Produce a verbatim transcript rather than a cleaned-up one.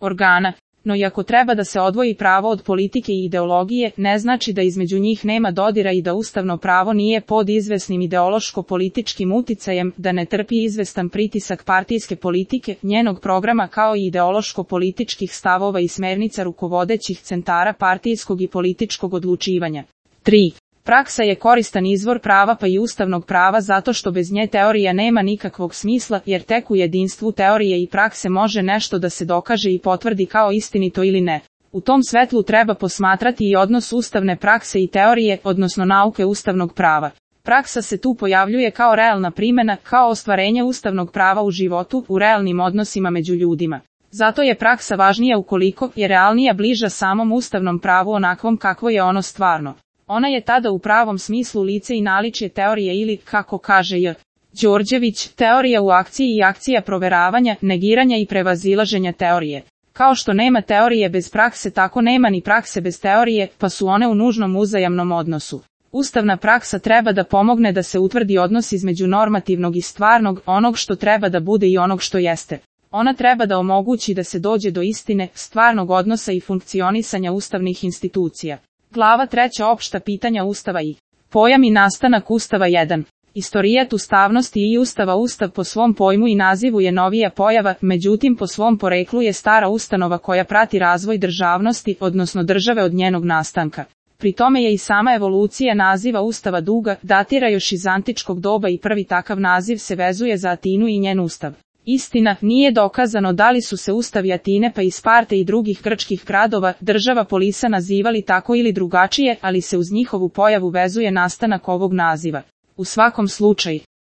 organa. No i ako treba da se odvoji pravo od politike i ideologije, ne znači da između njih nema dodira i da ustavno pravo nije pod izvesnim ideološko-političkim uticajem, da ne trpi izvestan pritisak partijske politike, njenog programa kao i ideološko-političkih stavova i smernica rukovodećih centara partijskog i političkog odlučivanja. tri. Praksa je koristan izvor prava pa i ustavnog prava zato što bez nje teorija nema nikakvog smisla, jer tek u jedinstvu teorije i prakse može nešto da se dokaže i potvrdi kao istinito ili ne. U tom svetlu treba posmatrati i odnos ustavne prakse i teorije, odnosno nauke ustavnog prava. Praksa se tu pojavljuje kao realna primjena, kao ostvarenje ustavnog prava u životu, u realnim odnosima među ljudima. Zato je praksa važnija ukoliko je realnija bliža samom ustavnom pravu onakvom kakvo je ono stvarno. Ona je tada u pravom smislu lice i naličje teorije ili, kako kaže J. Đorđević, teorija u akciji i akcija proveravanja, negiranja i prevazilaženja teorije. Kao što nema teorije bez prakse, tako nema ni prakse bez teorije, pa su one u nužnom uzajamnom odnosu. Ustavna praksa treba da pomogne da se utvrdi odnos između normativnog i stvarnog, onog što treba da bude i onog što jeste. Ona treba da omogući da se dođe do istine, stvarnog odnosa i funkcionisanja ustavnih institucija. Glava treća opšta pitanja Ustava i pojam i nastanak Ustava jedan. Istorijat ustavnosti i Ustava. Ustav po svom pojmu i nazivu je novija pojava, međutim po svom poreklu je stara ustanova koja prati razvoj državnosti, odnosno države od njenog nastanka. Pri tome je i sama evolucija naziva Ustava duga, datira još iz antičkog doba i prvi takav naziv se vezuje za Atinu i njen ustav. Istina, nije dokazano da li su se ustavi Atine pa i Sparte i drugih grčkih gradova, država Polisa nazivali tako ili drugačije, ali se uz njihovu pojavu vezuje nastanak ovog naziva. U svakom slučaju,